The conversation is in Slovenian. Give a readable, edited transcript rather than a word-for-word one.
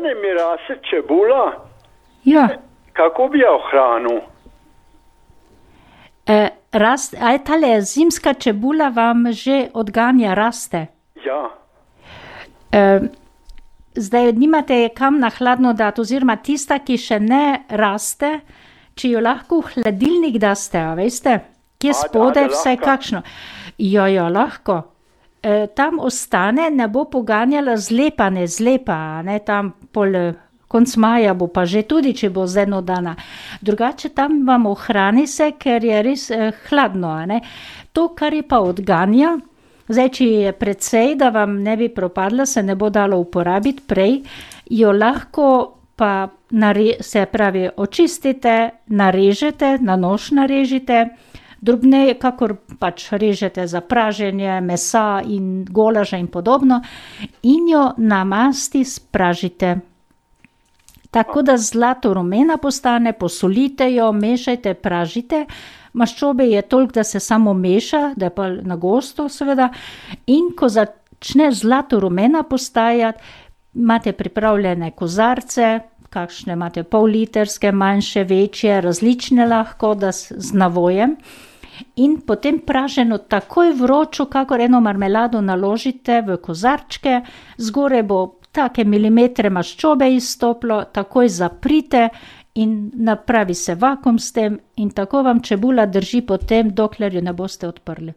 mene mi raste čebula. Ja. Kako bi jo hranil? A je tale zimska čebula vam že odganja raste? Ja, Zdaj nimate je kam na hladno dati, oziroma tista, ki še ne raste, če jo lahko v hladilnik daste, a veste, kje spodaj vsaj lahko. kakšno. Jo, lahko. Tam ostane, ne bo poganjala zlepa, ne, tam konc maja bo pa že tudi, če bo z eno dana. Drugače tam vam ohrani se, ker je res hladno, a ne. To, kar je pa odganja, zdaj, če je precej, da vam ne bi propadla, se ne bo dalo uporabiti prej, jo lahko pa se pravi očistite, narežete, na nož narežite, drobneje, kakor pač režete za praženje mesa in golaža in podobno, in jo na masti spražite. Tako da zlato rumena postane, posolite jo, mešajte, pražite. Maščobe je toliko, da se samo meša, da je pa na gosto seveda. In ko začne zlato rumena postajati, imate pripravljene kozarce, kakšne imate pol-litrske, manjše, večje, različne lahko, da z navojem. In potem praženo takoj vročo, kakor eno marmelado naložite v kozarčke, zgoraj bo take milimetre maščobe izstoplo, takoj zaprite in napravi se vakuum s tem in tako vam čebula drži potem, dokler jo ne boste odprli.